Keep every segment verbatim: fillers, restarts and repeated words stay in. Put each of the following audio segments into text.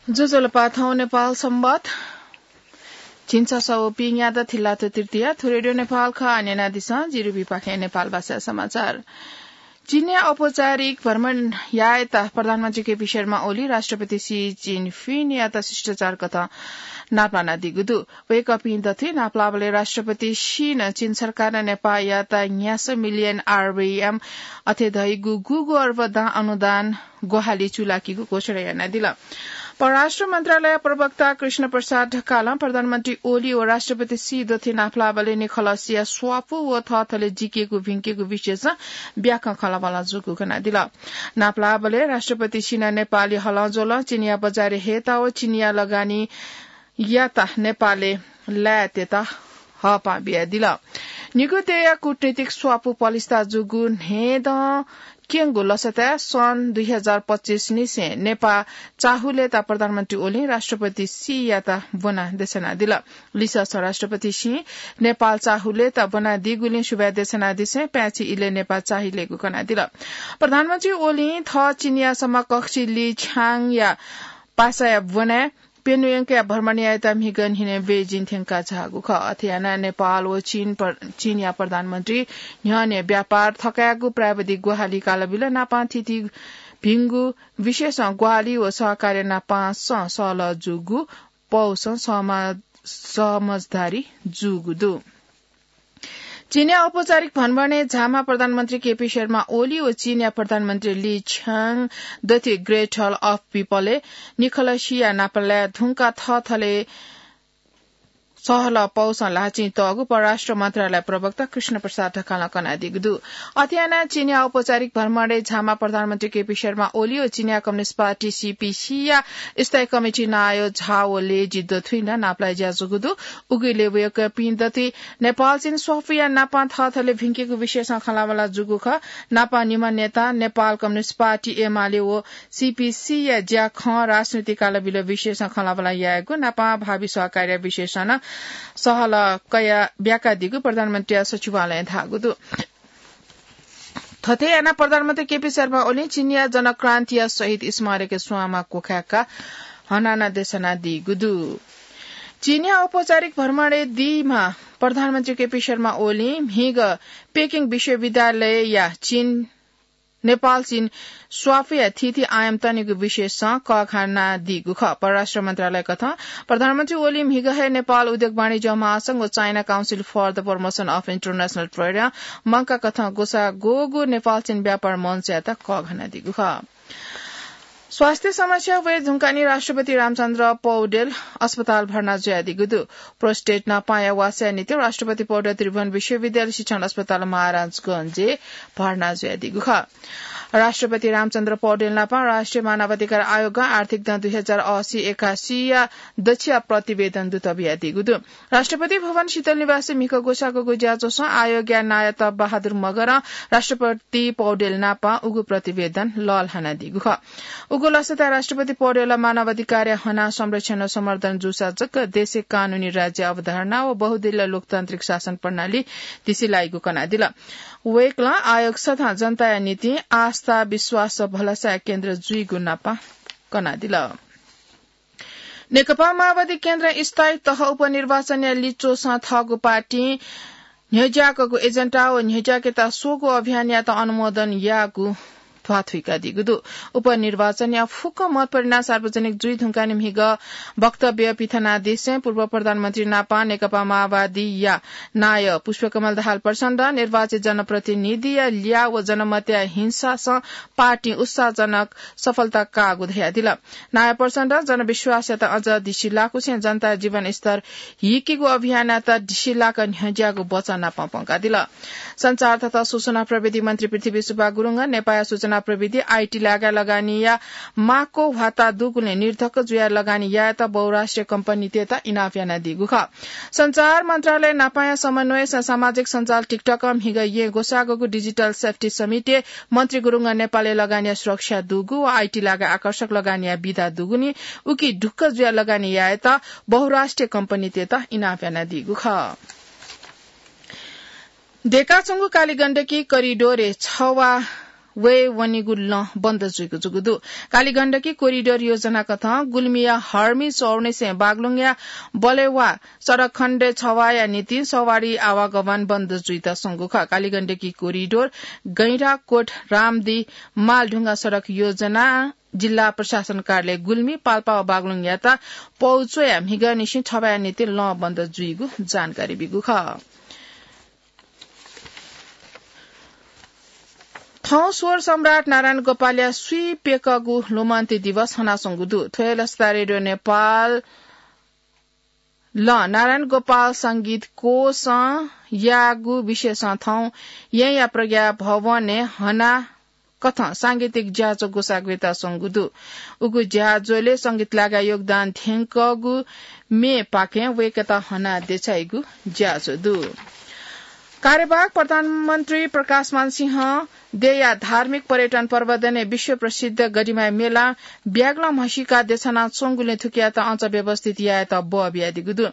ज्वजलपा, थौं नेपाल संवत झिंछसः व पीन्यादँ थिलात तृतीया, थ्व रेडियो नेपाल खः। न्यनादिसँ, जिरुबीपाखें नेपाल भाषा समाचार। चीनया औपचारिक भ्रमण यायेत प्रधानमन्त्री केपी शर्मा ओली राष्ट्रपति सी जिनपिङयात शिष्टाचार कथं नापलानादीगु दु। वय्कःपिं दथुइ नापलाःबलय् राष्ट्रपति सी नं चीन सरकारं नेपाःयात न्यासः मिलियन आरबीएम अथे धइगु गुगु अर्ब दां अनुदान ग्वाहालि चूलाकीगु घोषणा यानादिल। परराष्ट्र मन्त्रालय प्रवक्ता कृष्ण प्रसाद ढकालं प्रधानमन्त्री ओली व राष्ट्रपति सी दथुइ नापलाःबलय् निखलसिया स्वापू व थःथले जिकेगु भिंकेगु विषयसं ब्याकं खँल्हाबल्हा जूगु कनादिल। नापलाःबलय् राष्ट्रपति सीनं नेपाली हलंज्वलं चीनया बजारय् हयेत व चीनया लगानीयात नेपालय् लायेत हःपाः बियादिल। निगू देय्या कूटनीतिक स्वापू पलिस्था जूगु न्हय्दँ क्यंगु लसताय् सन् दुई हजार पच्चिस निसें नेपाः चाःहुलय्त प्रधानमन्त्री ओलीं राष्ट्रपति सीयात ब्वनाः देछानादिल। लिसःसं राष्ट्रपति सीं नेपाः चाःहुलय्त ब्वनादीगुलिं सुभाय् देछानादिसें पाय्छि इलय् नेपाः चाःहिलेगु कनादिल। प्रधानमन्त्री ओलीं थः चीनया समकक्षी ली छ्याङया पासाया ब्वनाय् प्यन्हु यंकाः भ्रमण यायेत म्हिगः न्हिनय् बेजिङ थ्यंका झाःगु खः। अथे यानाः नेपाल व चीन प्र-, चीनया प्रधानमन्त्री न्ह्यःने व्यापार थकायेगु प्राविधिक ग्वाहालि कालबिल नापं थीथी भिंगु विषयसं ग्वाहालि व सहकार्य नापंसं सहलह जूगु पौसं सहमा-, समझदारी जूगु दु। चीनया औपचारिक भ्रमणय् झाःम्ह प्रधानमन्त्री केपी शर्मा ओली व चीनया प्रधानमन्त्री ली छ्याङ दथुइ Great Hall of Peopleय् निखलसिया नापलाये धुंकाः थःथले सहलह पौसं ल्हाःचिं तःगु परराष्ट्र मन्त्रालय प्रवक्ता कृष्ण प्रसाद ढकालं कनादीगु दु। अथे यानाः चीनया औपचारिक भ्रमणय् झाःम्ह प्रधानमन्त्री केपी शर्मा ओली व चीनया कम्युनिस्ट पार्टी सीपीसीया स्थायी कमिटी नायः झाओ लेजी दथुइ नं नापलाये ज्या जूगु दु। उगु इलय् वय्कःपिं दथुइ नेपाल चीन स्वापूया नापं थःथले भिंकेगु विषयसं खँल्हाबल्हा जूगु खः। नापं निम्ह नेता नेपाल कम्युनिस्ट पार्टी एमाले व सीपीसीया ज्याखँ राजनीतिक कालबिल विषयसं खँल्हाबल्हा यायेगु, नापं भावी सहकार्य विषयसं नं सहलह कयाः ब्याकादीगु प्रधानमन्त्रीया सचिवालयं धाःगु दु। थथे यानाः प्रधानमन्त्री केपी शर्मा ओलीं चीनया जनक्रान्तिया शहीद स्मारकय् स्वांमा क्वखाय्काः हनाना देछानादीगु दु। चीनया औपचारिक भ्रमणय् दीम्ह प्रधानमन्त्री केपी शर्मा ओलीं म्हिगः पेकिङ विश्वविद्यालयया चीन, नेपाल चीन स्वापूया थीथी आयाम तनेगु विषयसं कःघानादीगु खः। परराष्ट्र मन्त्रालय कथं प्रधानमन्त्री ओलीं म्हिगः हे नेपाल उद्योग वाणिज्य महासंघ व China Council for the Promotion of International Tradeं मंकाः कथं ग्वसाः ग्वःगु नेपाल चीन व्यापार मञ्चयात कःघानादीगु खः। स्वास्थ्य समस्या वये धुंकाः नि राष्ट्रपति रामचन्द्र पौडेल अस्पताल भर्ना जुयादीगु दु। Prostate नापांया वासःया निंतिं राष्ट्रपति पौडेल त्रिभुवन विश्वविद्यालय शिक्षण अस्पताल महाराजगंजय् भर्ना जुयादीगु खः। राष्ट्रपति रामचन्द्र पौडेल नापं राष्ट्रिय मानवाधिकार आयोगं आर्थिक दँ दुई हजार असी एकासीया दच्छिया प्रतिवेदन दुत बियादीगु दु। राष्ट्रपति भवन शीतल निवासय् म्हिगः ग्वसाः ग्वःगु ज्याझ्वलय् आयोगया नायः तप बहादुर मगरं राष्ट्रपति पौडेल नापं उगु प्रतिवेदन लःल्हानादीगु खः। उगु लसताय् राष्ट्रपति पौडेलं मानवाधिकारया हनाः संरक्षण व संवर्धन जूसा जक देशय् कानूनी राज्य अवधारणा व बहुदलीय लोकतान्त्रिक शासन प्रणाली दिसे लाइगु कनादिल। वय्कलं आयोग सदां जनताया निंतिं आस्था, विश्वास व भलसाया केन्द्र जुइगु नापं कनादिल। नेकपा माओवादी केन्द्रं स्थायी तह उपनिर्वाचनया लिच्वःसं थःगु पार्टीं न्ह्यज्याकःगु एजेन्डा व न्ह्यज्याकेत स्वःगु अभियानयात अनुमोदन याःगु ध्वाथुइकादीगु दु। उपनिर्वाचनया फुक्क मत परिणाम सार्वजनिक जुइ धुंकाः नि म्हिगः वक्तव्य पिथनादिसें पूर्व प्रधानमन्त्री नापं नेकपा माओवादीया नायः पुष्पकमल दाहाल प्रचण्डं निर्वाचित जनप्रतिनिधिया ल्याः व जनमतया हिंसासं पार्टीं उत्साहजनक सफलता काःगु धयादिल। नायः प्रचण्डं जनविश्वासयात अझ दिसिलाकुसें जनताया जीवनस्तर हिकीगु अभियानयात दिसिलाक न्ह्यज्याःगु वचन नापं प्वंकादिल। सञ्चार तथा सूचना प्रविधि मन्त्री पृथ्वी सुब्बा गुरुङं नेपाःया सूचना प्रविधि, आईटी लागाय् लगानीया माक्व ह्वाता दुगुलिं निर्धक्क जुयाः लगानी यायेत बहुराष्ट्रिय कम्पनीतय्त इनाप यानादीगु खः। सञ्चार मन्त्रालय नापांया समन्वयसं सामाजिक सञ्जाल TikTokं म्हिगः येँ ग्वसाःगु Digital Safety Summitय् मन्त्री गुरुङं नेपालय् लगानीया सुरक्षा दुगु व आईटी लागाय् आकर्षक लगानीया विधा दुगुलिं उकी ढुक्क जुयाः लगानी यायेत बहुराष्ट्रिय कम्पनीतय्त इनाप यानादीगु खः। दय्काच्वंगु कालीगण्डकी करिडोरय् छवा वये वनीगु लँ बन्द जुइगु जूगु दु। कालीगण्डकी कोरिडोर योजना कथं गुल्मीया हर्मी चौरनिसें बागलुङया बलेवा सडक खण्डय् छवाया निंतिं सवारी आवागमन बन्द जुइत संगु खः। कालीगण्डकी कोरिडोर गैंडाकोट रामदी मालढुङ्गा सडक योजना जिल्ला प्रशासन कार्यालय गुल्मी, पाल्पा व बागलुङयात पौ च्वयाः म्हिगःनिसें छवाया निंतिं लँ बन्द जुइगु जानकारी बीगु खः। थौं स्वर सम्राट नारायण गोपालया स्वीप्यकःगु लुमन्ति दिवस हनाच्वंगु दु। थ्व हे लसता रेडियो नेपालं नारायण गोपाल संगीत कोषं याःगु विशेषं थौं येँया प्रज्ञा भवनय् हना कथं सांगीतिक ज्याझ्वः ग्वसाः ग्वयेत स्वंगु दु। उगु ज्याझ्वलय् संगीत लागाः योगदान थ्यंकःगु मेपाखें वय्कःयात हना देछाइगु ज्याझ्वः दु। कार्यवाहक प्रधानमन्त्री प्रकाशमान सिंहं देय्या धार्मिक पर्यटन प्रवर्धनय् विश्व प्रसिद्ध गढीमाई मेलां ब्यागलं म्हसीका देछाना च्वंगुलिं थुकियात अझ व्यवस्थित यायेत बः बियादीगु दु।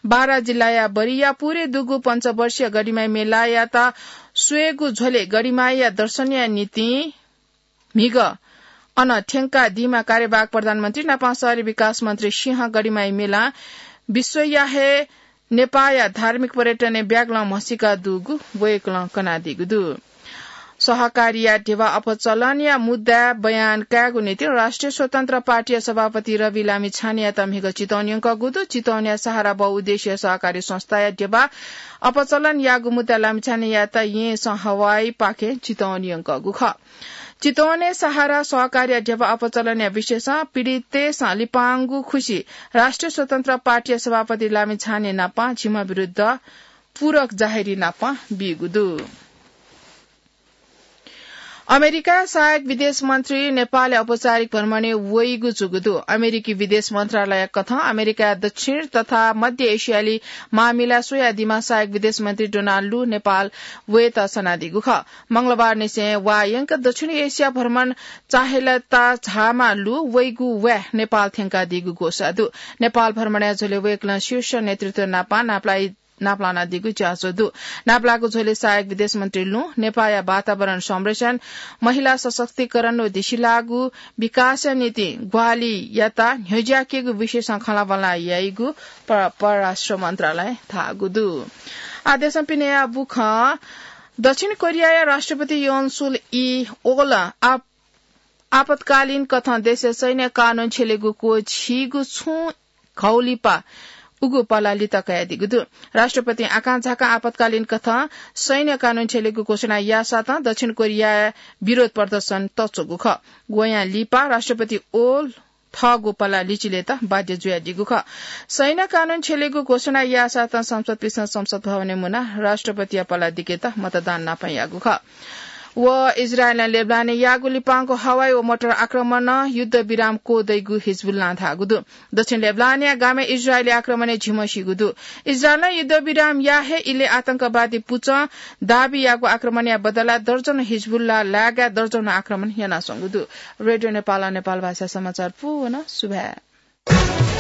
बारा जिल्लाया बरिया पुरे दुगु पञ्चवर्षीय गढीमाई मेलायात स्वयेगु झ्वलय् गढीमाईया दर्शनया निंतिं म्हिगः अन थ्यंकादीमा कार्यवाहक प्रधानमन्त्री नापं शहरी विकास मन्त्री सिंहं गढीमाई मेलां विश्वया हे नेपाःया धार्मिक पर्यटनय् ब्यागलं म्हसीका दुगु वय्कलं कनादीगु दु। सहकारीया ध्यबा अपचलनया मुद्दा बयान कायेगु निंतिं राष्ट्रिय स्वतन्त्र पार्टीया सभापति रवि लामिछानेयात म्हिगः चितवन यंकःगु दु। चितवनया सहारा बहुउद्देश्य सहकारी संस्थाया ध्यबा अपचलन याःगु मुद्दा लामिछानेयात येँसं हवाईपाखें चितवन यंकःगु खः। चितवनय् सहारा सहकारीया ध्यबा अपचलनया विषयसं पीडितय्सं लिपांगु खुसि राष्ट्रिय स्वतन्त्र पार्टीया सभापति लामिछाने नापं झिम्ह विरुद्ध पूरक जाहेरी नापं बीगु दु। अमेरिकाया सहायक विदेश मन्त्री नेपालय् औपचारिक भ्रमणय् वइगु जूगु दु। अमेरिकी विदेश मन्त्रालय कथं अमेरिकाया दक्षिण तथा मध्य एसियाली मामिला स्वयादीम्ह सहायक विदेश मन्त्री डोनाल्ड लु नेपाल वयेत सनादीगु खः। मंगलबारनिसें वा यंक दक्षिण एसिया भ्रमण चाहेलता झाःम्ह लु वइगु वाय् नेपाल थ्यंकादीगु ग्वसाः दु। नेपाल भ्रमणया झ्वलय् वय्कलं शीर्ष नेतृत्व नापं नापलाइ नापलानादीगु ज्याझ्वः दु। नापलाःगु झ्वलय् सहायक विदेश मन्त्री लुं नेपाःया वातावरण संरक्षण, महिला सशक्तिकरण व दिसिलाःगु विकासया निंतिं ग्वाहालियात न्ह्यज्याकेगु विषयसं खँल्हाबल्हा याइगु पर-, परराष्ट्र मन्त्रालयं धाःगु दु। आः देशं पिनेया बुखँ। दक्षिण कोरियाया राष्ट्रपति योन सुल ई ओलं आप-, आपतकालीन कथं देशय् सैन्य कानून छ्यलेगु क्वःछिइगु छुं घौलिपा उगु पला लित कयादीगु दु। राष्ट्रपतिं आकांझाकां आपतकालीन कथं सैन्य कानून छ्यलेगु घोषणा याःसातं दक्षिण कोरियाया विरोध प्रदर्शन तच्वःगु खः। वयां लिपा राष्ट्रपति ओल थःगु पला लिचिलेत बाध्य जुयादीगु खः। सैन्य कानून छ्यलेगु घोषणा याःसातं सांसदपिन्सं संसद भवनय् मुनाः राष्ट्रपतिया पला दिकेत मतदान नापं याःगु खः। व इजरायलं लेबनानय् याःगु लिपांगु हवाई व मोटर आक्रमणं युद्धविराम क्वदइगु हिजबुल्लां धाःगु दु। दक्षिण लेबनानया गामय् इजरायली आक्रमणय् झिम्ह सीगु दु। इजरायलं युद्धविराम याः हे इलय् आतंकवादी पुचं दाबी याःगु आक्रमणया बदला दर्जन हिजबुल्ला लागाय् दर्जन आक्रमण यानाच्वंगु दु। रेडियो नेपालं नेपाल भाषा समाचार पूवं सुभाय्।